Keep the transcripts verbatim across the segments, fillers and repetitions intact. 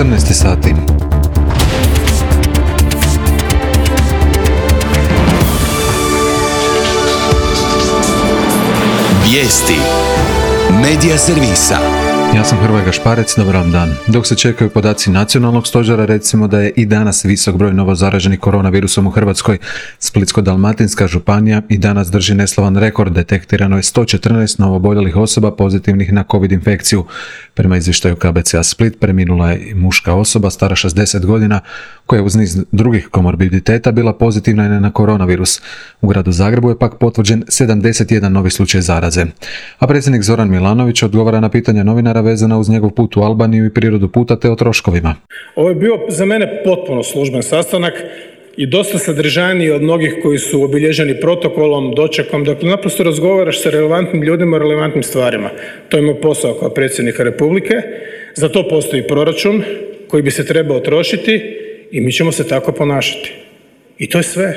četrnaest sati. Vijesti Medija servisa. Ja sam Hrvoje Gašparec, dobar vam dan. Dok se čekaju podaci nacionalnog stožera, recimo da je i danas visok broj novo zaraženih koronavirusom u Hrvatskoj. Splitsko-dalmatinska županija i danas drži neslavan rekord. Detektirano je sto četrnaest novooboljelih osoba pozitivnih na COVID infekciju. Prema izvještaju K B C-a Split preminula je muška osoba stara šezdeset godina koja je uz niz drugih komorbiditeta bila pozitivna i na koronavirus. U gradu Zagrebu je pak potvrđen sedamdeset jedan novi slučaj zaraze. A predsjednik Zoran Milanović odgovara na pitanja novinara vezana uz njegov put u Albaniju i prirodu puta te o troškovima. Ovo je bio za mene potpuno služben sastanak i dosta sadržajniji od mnogih koji su obilježeni protokolom, dočekom. Dakle, naprosto razgovaraš sa relevantnim ljudima o relevantnim stvarima. To je moj posao kao predsjednika Republike. Za to postoji proračun koji bi se trebao trošiti i mi ćemo se tako ponašati. I to je sve.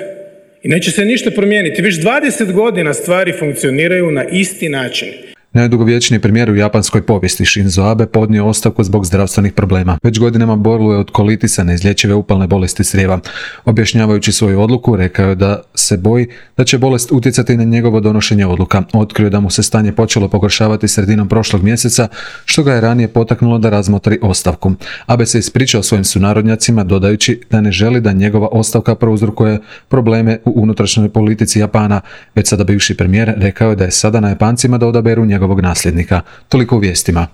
I neće se ništa promijeniti. Već dvadeset godina stvari funkcioniraju na isti način. Najdugovječniji premijer u japanskoj povijesti Shinzo Abe podnio ostavku zbog zdravstvenih problema. Već godinama boluje od kolitisa, neizlječive upalne bolesti crijeva. Objašnjavajući svoju odluku, rekao je da se boji da će bolest utjecati na njegovo donošenje odluka. Otkrio da mu se stanje počelo pogoršavati sredinom prošlog mjeseca, što ga je ranije potaknulo da razmotri ostavku. Abe se ispričao svojim sunarodnjacima, dodajući da ne želi da njegova ostavka prouzrokuje probleme u unutrašnjoj politici Japana. Već sada bivši premijer rekao je da je sada na Japancima da odaberu njegovog nasljednika. Toliko u vijestima.